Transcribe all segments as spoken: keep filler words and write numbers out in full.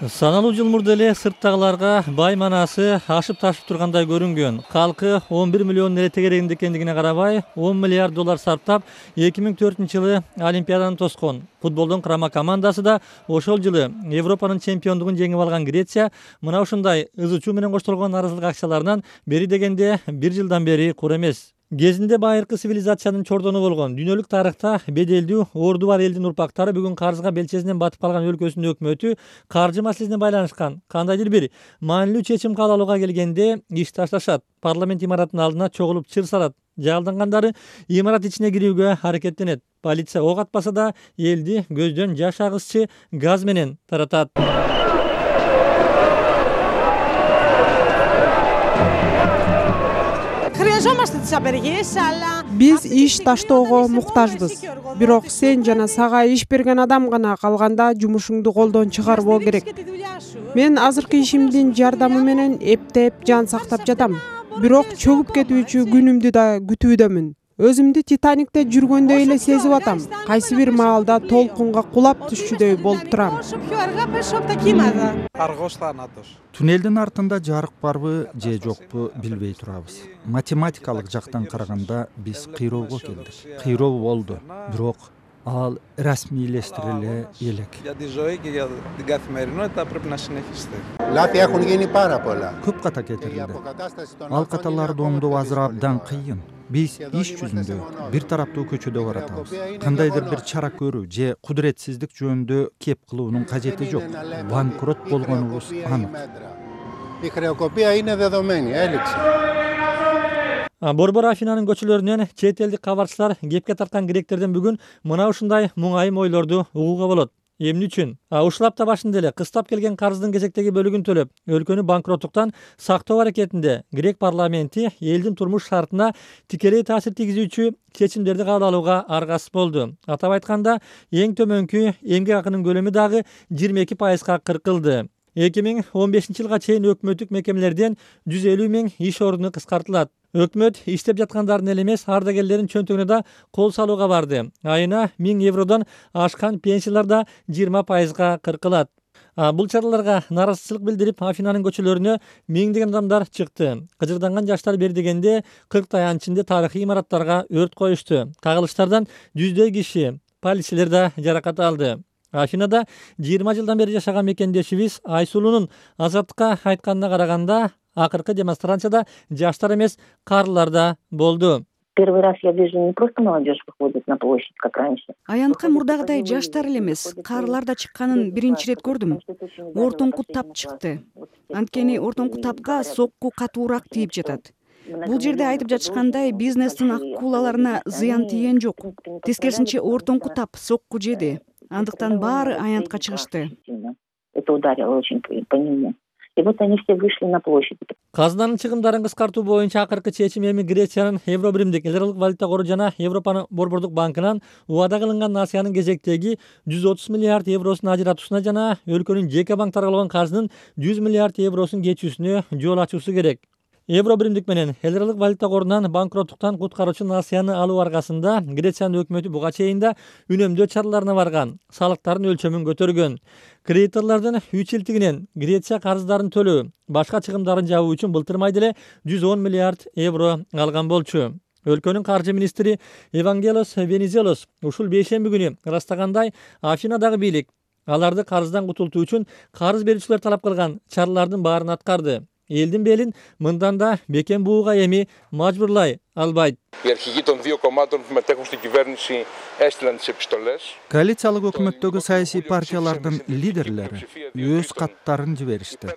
Саналуу жыл мурда эле сырттагыларга бай манасы ашып ташып тургандай көрүнгөн. Калкы он бир миллион нерсе тегерегинде экендигине карабай, он миллиард доллар сарптап эки миң төртүнчү жылы Олимпиаданы тоскон. Футболдун курама командасы да ошол жылы Европанын чемпиондугун жеңип алган Греция мына ушундай ызы чуу менен коштолгон нааразылык акцияларынан бери дегенде бир жылдан бери кур эмес. Кезинде байыркы цивилизациянын чордону болгон дүйнөлүк тарыхта беделдүү орду бар элдин урпактары бүгүн карызга белчесинен батып калган өлкөсүнүн өкмөтү каржы маселесине байланышкан кандайдыр бир маанилүү чечим кабыл алууга келгенде иш ташташат, парламент имаратынын алдына чогулуп чыр салат, жалдангандары имарат ичине кирүүгө аракеттенет. Полиция ок атпаса да элди көздөн жаш агызчы газ менен таратат. Биз иш таштоого муктажбыз. Бирок сен жана сага иш берген адам гана калганда жумушуңду колдон чыгарбоо керек. Мен азыркы ишимдин жардамы менен эптеп жан сактап жатам. Бирок чөгүп кетүүчү күнүмдү да күтүүдөмүн. Өзүмдү Титаникте жүргөндөй эле сезип атам. Кайсы бир маалда толкунга кулап түшчүдөй болуп турам. Туннелдин артында жарык барбы же жокпу билбей турабыз. Математикалык жактан караганда биз кыйроого келдик. Кыйроо болду, бирок ал расмийлештириле элек. Көп ката кетирилди. Ал каталарды оңдоо азыр абдан кыйын. Биз иш жүзүндө бир тараптуу көчөдө баратабыз. Кандайдыр бир чара көрүү же кудуретсиздик жөнүндө кеп кылуунун кажети жок. Банкрот болгонубуз анык. Борбор Афинанын көчөлөрүнөн чет элдик кабарчылар кепке тарткан гректерден бүгүн мына ушундай муңайым ойлорду угууга болот. Эмне үчүн? Ушул апта башында эле кыстап келген карыздын кезектеги бөлүгүн төлөп, өлкөнү банкроттуктан сактоо аракетинде грек парламенти элдин турмуш шартына тикелей таасир тийгизүүчү чечимдерди кабыл алууга аргасыз болду. Атап айтканда, эң төмөнкү эмгек акынын көлөмү дагы жыйырма эки пайызга кыркылды. эки миң он бешинчи жылга чейин өкмөттүк мекемелерден жүз элүү миң иш ордуну кыскартылат. Өкмөт иштеп жаткандардын эле эмес, ардагерлердин чөнтөгүнө да кол салууга барды. Айына миң евродон ашкан пенсиялар да жыйырма пайызга кыркылат. Бул чараларга нааразычылык билдирип, Афинанын көчөлөрүнө миңдеген адамдар чыкты. Кыжырданган жаштар бери дегенде кырк аянын ичинде тарыхый имараттарга өрт коюшту. Кагылыштардан жүздөй киши, полицейлер да жаракат алды. Афинада жыйырма жылдан бери жашаган мекендешибиз Айсулунун Азаттыкка айтканына караганда, акыркы демонстрацияда жаштар эмес, карлар да болду. Первый раз я вижу не просто молодежь выходит на площадь, как раньше. Аянтка мурдагыдай жаштар эле эмес, карлар да чыкканын биринчи ирет көрдүм. Ортоңку тап чыкты. Анткени ортоңку тапка сокку катуураак тийип жатат. Бул жерде айтып жатышкандай, бизнестин акулаларына зыян тийген жок. Тескерисинче ортоңку тап сокку жеди. Андыктан баары аянтка чыгышты. Это ударило очень по нему. И вот они все вышли на площадь. Казынанын чыгымдарын кыскартуу боюнча акыркы чечим эми Грециянын Евро биримдик эл аралык валюта кору жана Европанын борбордук банкынан убада кылынган насыянын кезектеги жүз отуз миллиард евросун ажыратуусуна жана өлкөнүн жеке банктарга болгон каржынын жүз миллиард евросун кечүүсүнө жол ачуусу керек. Евро биримдик менен эл аралык валюта корунан банкроттуктан куткаруучу насыяны алуу аркасында Грециянын өкмөтү буга чейин да үнөмдөө чараларына барган, салыктардын өлчөмүн көтөргөн. Кредиторлордун үч илтигинен Греция карыздарын төлөө, башка чыгымдарын жабуу үчүн былтыр майда эле жүз он миллиард евро алган болчу. Өлкөнүн каржы министри Евангелос Венизелос ушул бейшемби күнү ырастагандай, Афинадагы бийлик аларды карыздан кутултуу үчүн карыз берүүчүлөр талап кылган чаралардын баарын аткарды. Элдин белин мындан да бекем бууга эми мажбурлай албайт. Коалициялык өкмөттөгү саясий партиялардын лидерлери өз каттарын жиберишти.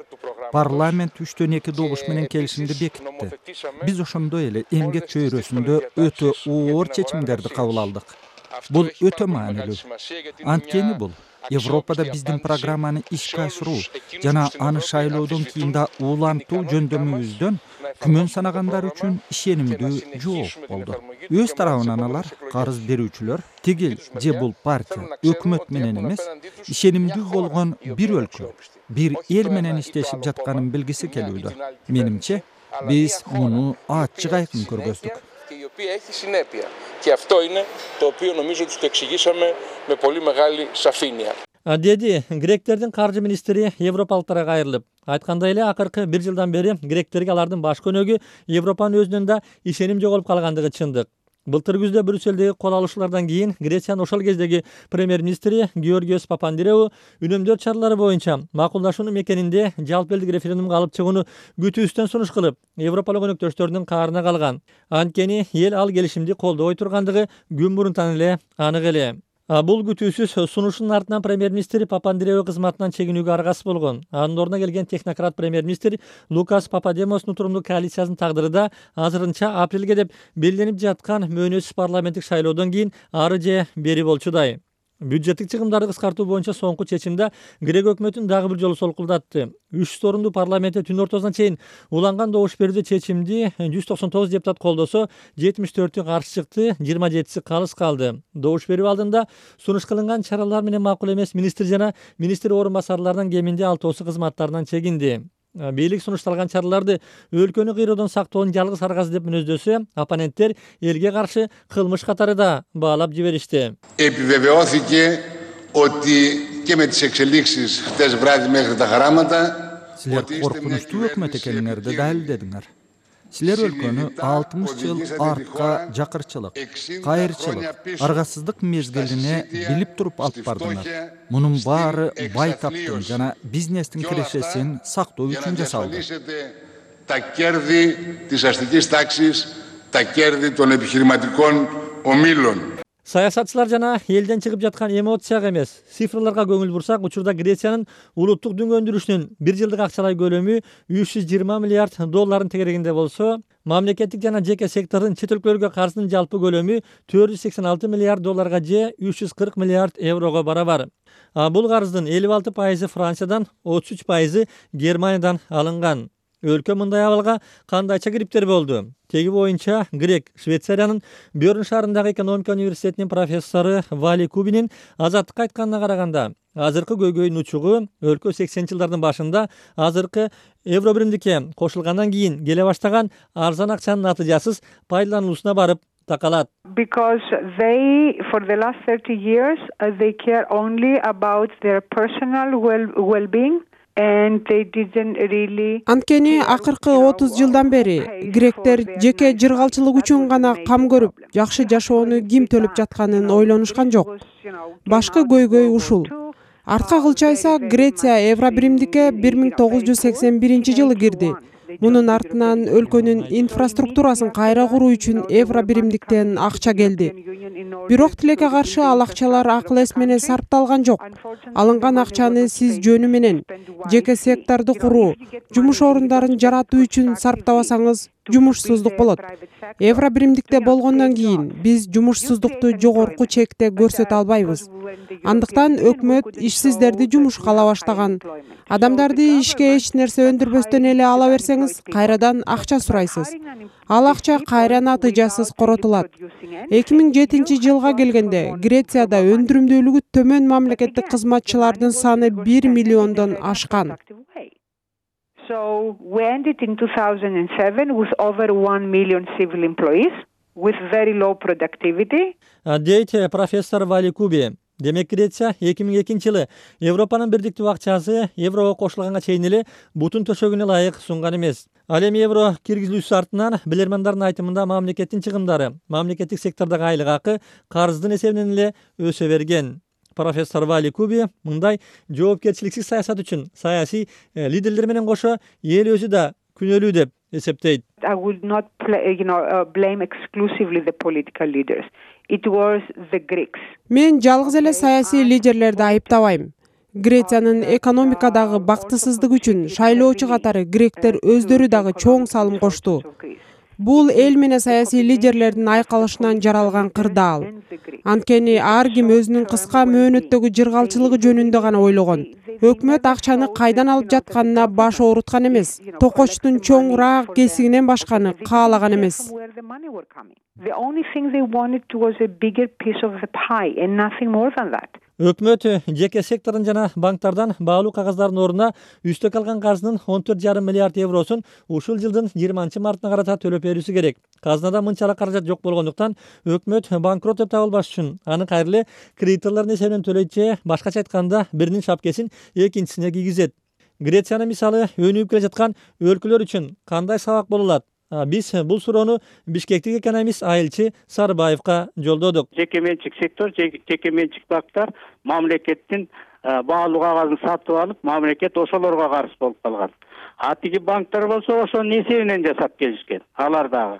Парламент үчтөн эки добуш менен келишимди бекитти. Биз ошондой эле эмгек чөйрөсүндө өтө оор чечимдерди кабыл алдык. Бул өтө маанилүү. Анткени бул Европада биздин программаны ишке ашыруу жана аны шайлоодон кийин да улантуу жөндөмүбүздөн күмөн санагандар үчүн ишенимдүү жооп болду. Өз тарабынан алар карыз берүүчүлөр, тигил же бул партия өкмөт менен эмес, ишенимдүү болгон бир өлкө, бир эл менен иштешип жатканын билгиси келүүдө. Менимче, биз муну ачык айкын көргөздүк. οποία έχει συνέπεια. Και αυτό είναι το οποίο νομίζω ότι το εξηγήσαμε με πολύ μεγάλη σαφήνεια. деди гректердин каржы министри европалыктарга кайрылып. Айткандай эле акыркы бир жылдан бери гректерге алардын баш көнөгү Европанын өзүнөн да ишеним жоголуп калгандыгы чындык. Былтыр күздө Брюссельдеги кол алышуулардан кийин Грециянын ошол кездеги премьер-министри Георгиос Папандреou үнөмдөр чаралары боюнча макулдашуунун мекенинде жалпы элдик референдумга алып чыгууну күтүүбүздөн сунуш кылып, Европалык өнөктөштөрүнүн каарына калган. Анткени эл ал келишимди колдобой тургандыгы күн мурунтан эле анык эле. Бул күтүүсүз сунушунун артынан премьер-министр Папандреou кызматынан чегинүүгө аргасыз болгон. Анын ордуна келген технократ премьер-министр Лукас Пападемостун турумдуу коалициясынын тагдыры да азырынча апрелге деп белгиленип жаткан мөөнөтсүз парламенттик шайлоодон кийин ары же бери болчудай. Бюджеттик чыгымдарды кыскартуу боюнча соңку чечимде Грек өкмөтүн дагы бир жолу солкулдатты. үч жүз орундуу парламентте түн ортосуна чейин уланган добуш берүүдө чечимди жүз токсон тогуз депутат колдосо, жетимиш төртү каршы чыкты, жыйырма жетиси калыс калды. Добуш берүү алдында сунуш кылынган чаралар менен макул эмес министр жана министр орун басарларынын кеминде алтоосу кызматтарынан чегинди. Бийлик сунушталган чараларды өлкөнү кыйроодон сактоонун жалгыз аргасы деп мүнөздөсө, оппоненттер элге каршы кылмыш катары да баалап жиберишти. Επιβεβαιώθηκε ότι και με τις εξελίξεις χτες βράδυ μέχρι τα χαράματα Силер коркунучтуу өкмөт экениңерди далилдедиңер. Силер өлкөнү алтымыш жыл артка жакырчылык, кайырчылык, аргасыздык мезгилине билип туруп алып бардыңар. Мунун баары байтаптын жана бизнестин кирешесин сактоо үчүн жасалды. Τα κέρδη της αστικής τάξης, τα κέρδη των επιχειρηματικών ομίλων. Саясатчылар жана элден чыгып жаткан эмоцияга эмес, цифрларга көңүл бурсак, учурда Грециянын улуттук дүң өндүрүшүнүн бир жылдык акчалай көлөмү үч жүз жыйырма миллиард доллардын тегерегинде болсо, мамлекеттик жана жеке сектордун чет өлкөлөргө каржынын жалпы көлөмү төрт жүз сексен алты миллиард долларга же үч жүз кырк миллиард еврого барабар. Бул карыздын элүү алты пайызы Франциядан, отуз үч пайызы Германиядан алынган. Өлкө мындай абалга кандайча кириптер болду? Теги боюнча Грек Швейцариянын Бёрн шаарындагы экономика университетинин профессору Вали Кубинин азаттыкка айтканына караганда, азыркы көйгөйдүн учугу өлкө сексенинчи жылдардын башында азыркы евро биримдикке кошулгандан кийин келе баштаган арзан акчанын натыйжасыз пайдалануусуна барып такалат. Because they, for the last thirty years, uh, they care only about their personal well, well-being. Анткени акыркы отуз жылдан бери гректер жеке жыргалчылык үчүн гана кам көрүп, жакшы жашоону ким төлөп жатканын ойлонушкан жок. Башкы көйгөй ушул. Артка кылчайса, Греция евро биримдикке бир миң тогуз жүз сексен биринчи жылы кирди. Мунун артынан өлкөнүн инфраструктурасын кайра куруу үчүн евро биримдиктен акча келди. Бирок тилекке каршы ал акчалар акыл эс менен сарпталган жок. Алынган акчаны сиз жөнү менен жеке секторду куруу, жумуш орундарын жаратуу үчүн сарптабасаңыз, жумушсуздук болот. Евро биримдикте болгондон кийин биз жумушсуздукту жогорку чекте көрсөтө албайбыз. Андыктан өкмөт ишсиздерди жумушка ала баштаган. Адамдарды ишке эч нерсе өндүрбөстөн эле ала берсеңиз, кайрадан акча сурайсыз. Ал акча кайра натыйжасыз коротулат. эки миң жетинчи жылга келгенде Грецияда өндүрүмдүүлүгү төмөн мамлекеттик кызматчылардын саны бир миллиондон ашкан. So we ended in two thousand seven with over one million civil employees with very low productivity. Дейт профессор Вали Куби. Демек Греция эки миң экинчи жылы Европанын бирдиктүү акчасы еврого кошулганга чейин эле бутун төшөгүнө ылайык сунган эмес. Ал эми евро киргизилүүсү артынан билермандардын айтымында мамлекеттин чыгымдары, мамлекеттик сектордогу айлык акы карыздын эсебинен эле өсө берген. Профессор Вали Куби мындай жоопкерчиликсиз саясат үчүн саясий лидерлер менен кошо эл өзү да күнөөлүү деп эсептейт. I would not play, you know, uh, blame exclusively the political leaders. It was the Greeks. Мен жалгыз эле саясий лидерлерди айыптабайм. Грециянын экономикадагы бактысыздык үчүн шайлоочу катары гректер өздөрү дагы чоң салым кошту. Бул эл менен саясий лидерлердин айкалышынан жаралган кырдаал. Анткени ар ким өзүнүн кыска мөөнөттөгү жыргалчылыгы жөнүндө гана ойлогон. Өкмөт акчаны кайдан алып жатканына баш ооруткан эмес, токочтун чоңураак кесигинен башканы каалаган эмес. The only thing they wanted was a bigger piece of the pie and nothing more than that. Өкмөт жеке сектордун жана банктардан баалуу кагаздардын ордуна үстөк алган карзынын он төрт жарым миллиард евросун ушул жылдын жыйырманчы мартына карата төлөп берүүсү керек. Казынада мынчалык каражат жок болгондуктан өкмөт банкрот деп табылбаш үчүн аны кайра эле кредиторлордун эсебинен төлөйт же башкача айтканда биринин шапкесин экинчисине кийгизет. Грециянын мисалы өнүгүп келе жаткан өлкөлөр үчүн кандай сабак боло алат? Биз бул суроону бишкектик экономист Айылчы Сарыбаевга жолдодук. Жеке менчик сектор, жеке менчик банктар мамлекеттин баалуу кагазын сатып алып, мамлекет ошолорго карыз болуп калган. А тиги банктар болсо ошонун эсебинен жасап келишкен. Алар дагы.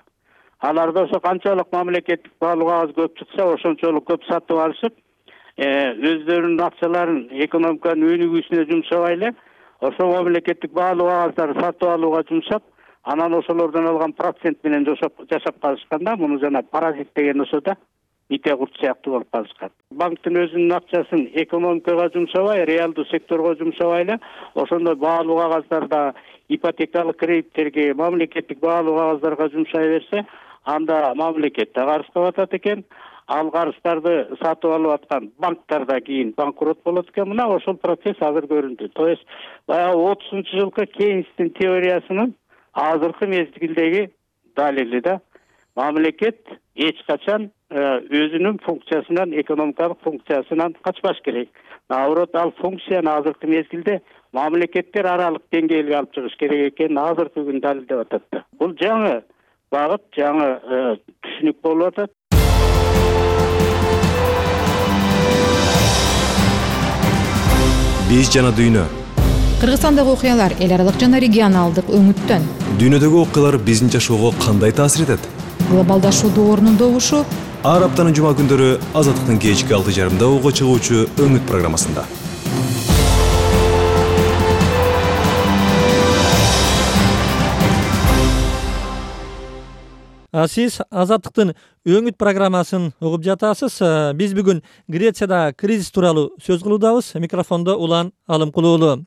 Аларда ошо канчалык мамлекеттик баалуу кагаз көп чыкса, ошончолук көп сатып алышып, өздөрүнүн акчаларын экономиканын өнүгүүсүнө жумшабай эле, ошо мамлекеттик баалуу кагаздарды сатып алууга жумшап, анан ошолордон алган процент менен жашап калышканда, муну жана паразит деген ошо да ите курт сыяктуу болуп калышкан. Банктын өзүнүн акчасын экономикага жумшабай, реалдуу секторго жумшабай эле, ошондой баалуу кагаздарда ипотекалык кредиттерге, мамлекеттик баалуу кагаздарга жумшай берсе, анда мамлекет да карызга батат экен. Ал карыздарды сатып алып аткан банктар да кийин банкрот болот экен. Мына ошол процесс азыр көрүндү. То есть баягы отузунчу жылкы Кейнстин теориясынын азыркы мезгилдеги далили да, мамлекет эч качан өзүнүн функциясынан, экономикалык функциясынан качпаш керек. Наоборот, ал функцияны азыркы мезгилде мамлекеттер аралык деңгээлге алып чыгыш керек экенин азыркы күн далилдеп атат да. Бул жаңы багыт, жаңы түшүнүк болуп атат. Биз жана дүйнө. Кыргызстандагы окуялар эл аралык жана регионалдык өңүттөн. Дүйнөдөгү окуялар биздин жашоого кандай таасир этет? Глобалдашуу доорунун добушу ар аптанын жума күндөрү Азаттыктын кечки алты жарымда угуга чыгуучу өңүт программасында. Сиз Азаттыктын өңүт программасын угуп жатасыз. Биз бүгүн Грецияда кризис тууралуу сөз кылуудабыз. Микрофондо Улан Алымкулуулу.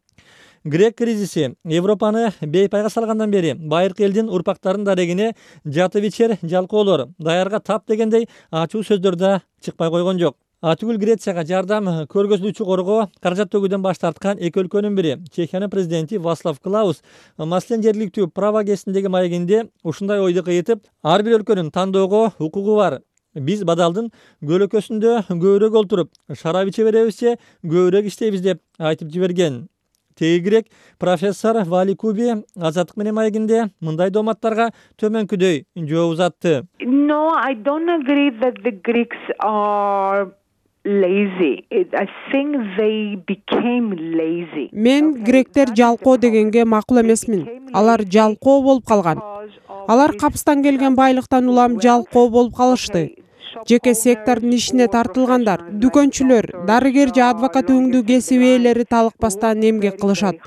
Грек кризиси Европаны бейпайга салгандан бери байыркы элдин урпактарынын дарегине жатып ичер жалкоолор, даярга тап дегендей ачуу сөздөр да чыкпай койгон жок. Атүгүл Грецияга жардам көргөзүлүүчү коргоо каражат төгүүдөн баш тарткан эки өлкөнүн бири Чехиянын президенти Вацлав Клаус маселен жергиликтүү прав агенттигиндеги маегинде ушундай ойду кыйытып, ар бир өлкөнүн тандоого укугу бар. Биз бадалдын көлөкөсүндө көбүрөөк олтуруп, шарап иче беребиз же көбүрөөк иштейбиз деп айтып жиберген. Теги грек профессор Вали Куби Азаттык менен маегинде мындай дооматтарга төмөнкүдөй жооп узатты. No, I don't agree that the Greeks are lazy. I think they became lazy. Мен гректер жалкоо дегенге макул эмесмин. Алар жалкоо болуп калган. Алар капыстан келген байлыктан улам жалкоо болуп калышты. Жеке сектордун ишине тартылгандар, дүкөнчүлөр, дарыгер же адвокат өңдүү кесип ээлери талыкпастан эмгек кылышат.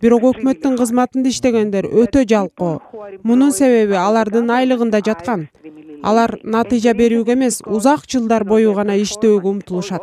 Бирок өкмөттүн кызматында иштегендер өтө жалкоо. Мунун себеби алардын айлыгында жаткан. Алар натыйжа берүүгө эмес, узак жылдар бою гана иштөөгө умтулушат.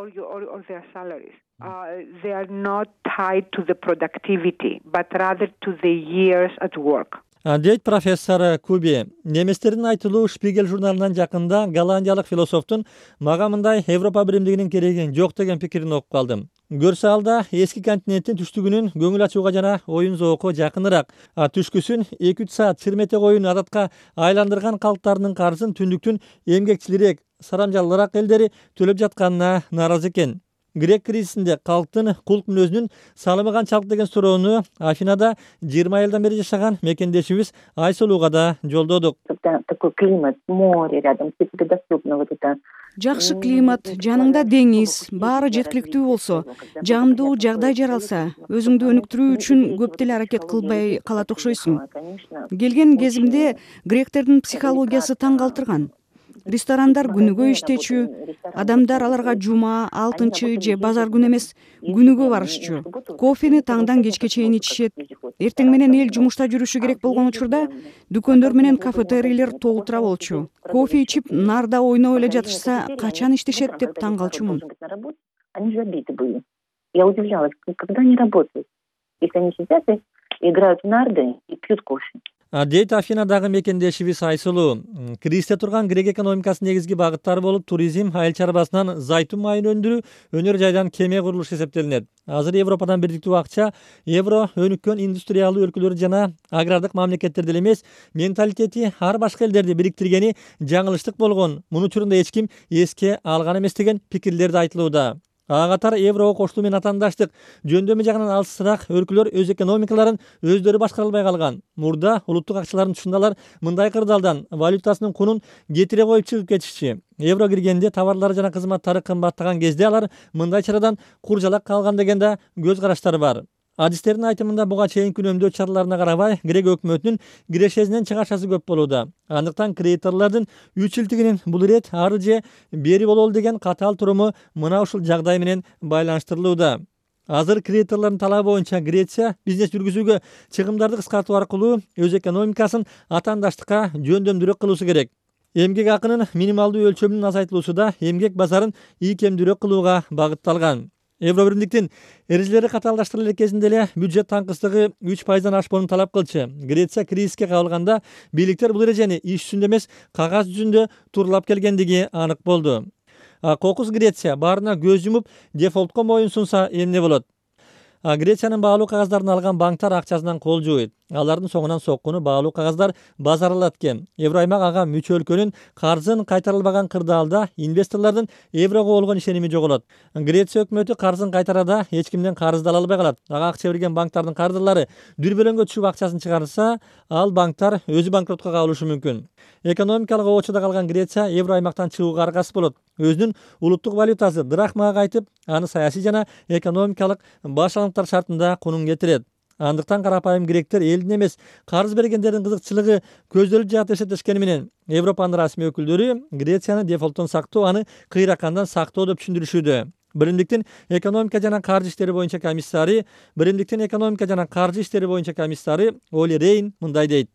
They are not tied to the productivity, but rather to the years at work. Дейт профессор Куби. Неместердин айтылуу Шпигель журналынан жакында голландиялык философтун мага мындай Европа биримдигинин кереги жок деген пикирин окуп калдым. Көрсө алда эски континенттин түштүгүнүн көңүл ачууга жана оюн зоокко жакыныраак, а түшкүсүн эки үч саат чирмете коюн адатка айландырган калктарынын карызын түндүктүн эмгекчилирээк, сарамжаллуураак элдери төлөп жатканына нааразы экен. Грек кризисинде калктын кулк мүнөзүнүн салымы канчалык деген суроону Афинада жыйырма жылдан бери жашаган мекендешибиз Айсулууга да жолдодук. Такой климат, море рядом, все тебе доступно, вот это. Жакшы климат, жаныңда деңиз, баары жеткиликтүү болсо, жагымдуу жагдай жаралса, өзүңдү өнүктүрүү үчүн көп деле аракет кылбай калат окшойсуң. Келген кезимде гректердин психологиясы таң калтырган. Ресторандар күнүгө иштечү, адамдар аларга жума, алтынчы же базар күнү эмес, күнүгө барышчу. Кофени таңдан кечке чейин ичишет. Эртең менен эл жумушта жүрүшү керек болгон учурда дүкөндөр менен кафетерийлер толтура болчу. Кофе ичип, нарда ойноп эле жатышса, качан иштешет деп таң калчумун. Они забиты были. Я удивлялась, когда они работают. Если они сидят и играют в нарды и пьют кофе. дейт Афинадагы мекендешибиз Айсулуу. Кризисте турган грек экономикасынын негизги багыттары болуп туризм, айыл чарбасынан зайтун майын өндүрүү, өнөр жайдан кеме курулушу эсептелинет. Азыр Европадан бирдиктүү акча евро өнүккөн индустриялдуу өлкөлөр жана агрардык мамлекеттерде эмес, менталитети ар башка элдерди бириктиргени жаңылыштык болгон. Муну учурунда эч ким эске алган эмес деген пикирлер да айтылууда. Ага катар еврого коштуу менен атаандаштык жөндөмү жагынан алысыраак өлкөлөр өз экономикаларын өздөрү башкара албай калган. Мурда улуттук акчалардын тушундалар мындай кырдаалдан валютасынын кунун кетире коюп чыгып кетишчи. Евро киргенде товарлар жана кызматтары кымбаттаган кезде алар мындай чарадан куржалак калган деген да көз караштары бар. Адистердин айтымында буга чейинки үнөмдөө чараларына карабай, грек өкмөтүнүн кирешесинен чыгашасы көп болууда. Андыктан кредиторлордун үч жылдыгынын бул ирет ары же бери бололу деген катаал туруму мына ушул жагдай менен байланыштырылууда. Азыр кредиторлордун талабы боюнча Греция бизнес жүргүзүүгө чыгымдарды кыскартуу аркылуу өз экономикасын атаандаштыкка жөндөмдүүрөөк кылуусу керек. Эмгек акынын минималдуу өлчөмүнүн азайтылуусу да эмгек базарын ийкемдүүрөөк кылууга багытталган. Евро биримдиктин эрежелери катаалдаштырылар кезинде эле бюджет таңкыстыгы үч пайыздан ашпоону талап кылчу. Греция кризиске кабылганда бийликтер бул эрежени иш жүзүндө эмес, кагаз жүзүндө тууралап келгендиги анык болду. Кокус Греция баарына көз жумуп дефолтко моюн сунса эмне болот? Грециянын баалуу кагаздарын алган банктар акчасынан кол жууйт. Алардын соңунан соккуну баалуу кагаздар базаралат экен. Евроаймак ага мүчө өлкөнүн карзын кайтарылбаган кырдаалда инвесторлордун еврого болгон ишеними жоголот. Греция өкмөтү карзын кайтарада эч кимден карызды ала албай калат. Ага акча берген банктардын кардырлары дүрбөлөңгө түшүп акчасын чыгарса, ал банктар өзү банкротко кабылышы мүмкүн. Экономикалык оочуда калган Греция евро аймактан чыгууга аргасыз болот. Өзүнүн улуттук валютасы драхмага кайтып, аны саясий жана экономикалык башалаңдыктар шартында кунун кетирет. Андыктан карапайым гректер элдин эмес, карыз бергендердин кызыкчылыгы көздөлүп жатып эсептешкени менен Европанын расмий өкүлдөрү Грецияны дефолттон сактоо, аны кыйракандан сактоо деп түшүндүрүшүүдө. Биримдиктин экономика жана каржы иштери боюнча комиссары, Биримдиктин экономика жана каржы иштери боюнча комиссары Оли Рейн мындай дейт.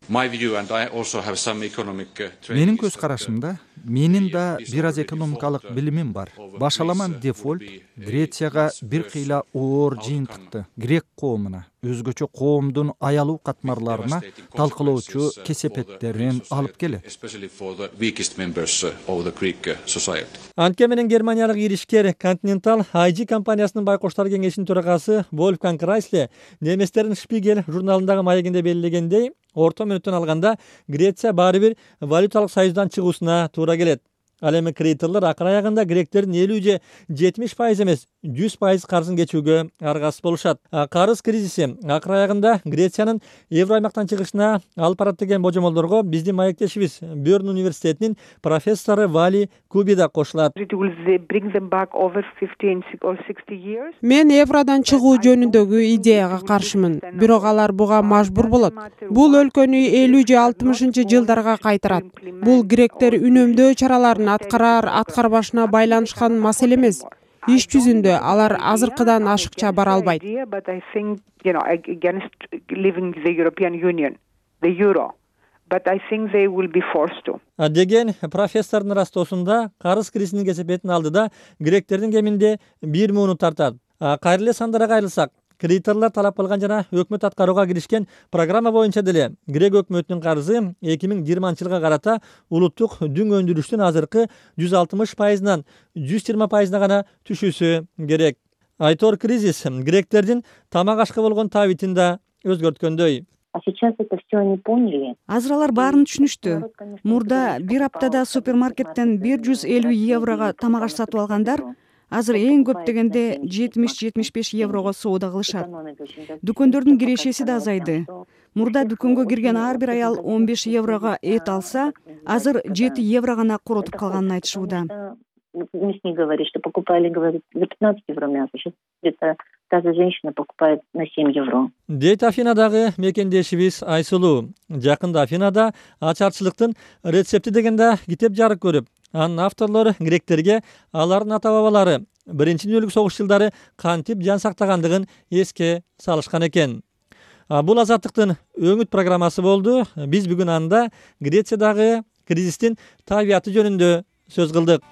Менин көз карашымда менин да бир аз экономикалык билимим бар. Башаламан дефолт Грецияга бир кыйла оор жыйынтыкты грек коомуна, өзгөчө коомдун аялуу катмарларына талкалоочу кесепеттерин алып келет. Анткени менен германиялык иришкер Continental ай джи компаниясынын байкоштор кеңешинин төрагасы Вольфганг Райсле неместердин Шпигель журналындагы маегинде белгилегендей, орто мөөнөттөн алганда Греция баары бир валюталык союздан чыгуусуна туура келет. Ал эми кредиторлор акыр аягында гректердин элүү же жетимиш пайыз эмес, жүз пайыз карзын кечүүгө аргасыз болушат. Карыз кризиси акыр аягында Грециянын евро аймактан чыгышына алып барат деген божомолдорго биздин маектешибиз Бёрн университетинин профессору Вали Куби да кошулат. Мен евродон чыгуу жөнүндөгү идеяга каршымын, бирок алар буга мажбур болот. Бул өлкөнү элүү же алтымышынчы жылдарга кайтарат. Бул гректер үнөмдөө чараларын аткарар аткарбашына байланышкан маселе эмес. Иш жүзүндө алар азыркыдан ашыкча бара албайт. Деген профессордун растоосунда карыз кризисинин кесепетин алдыда гректердин кеминде бир муну тартат. Кайра эле сандарга кайрылсак, кредиторлор талап кылган жана өкмөт аткарууга киришкен программа боюнча деле грек өкмөтүнүн карызы эки миң жыйырманчы жылга карата улуттук дүң өндүрүштүн азыркы жүз алтымыш пайызынан жүз жыйырма пайызына гана түшүүсү керек. Айтор кризис гректердин тамак ашка болгон табитин да өзгөрткөндөй. Азыр алар баарын түшүнүштү. Мурда бир аптада супермаркеттен бир жүз элүү еврого тамак аш сатып алгандар азыр эң көп дегенде жетимиш жетимиш беш еврого соода кылышат. Дүкөндөрдүн кирешеси да азайды. Мурда дүкөнгө кирген ар бир аял он беш еврого эт алса, азыр жети евро гана коротуп калганын айтышууда. Мясник говорит, что покупали, говорит, за пятнадцать евро мясо. Сейчас где-то та же женщина покупает на семь евро. Дейт Афинадагы мекендешибиз Айсулуу. Жакында Афинада ачарчылыктын рецепти дегенде китеп жарык көрүп, анын авторлору гректерге алардын ата бабалары биринчи дүйнөлүк согуш жылдары кантип жан сактагандыгын эске салышкан экен. Бул азаттыктын өңүт программасы болду. Биз бүгүн анда Грециядагы кризистин табияты жөнүндө сөз кылдык.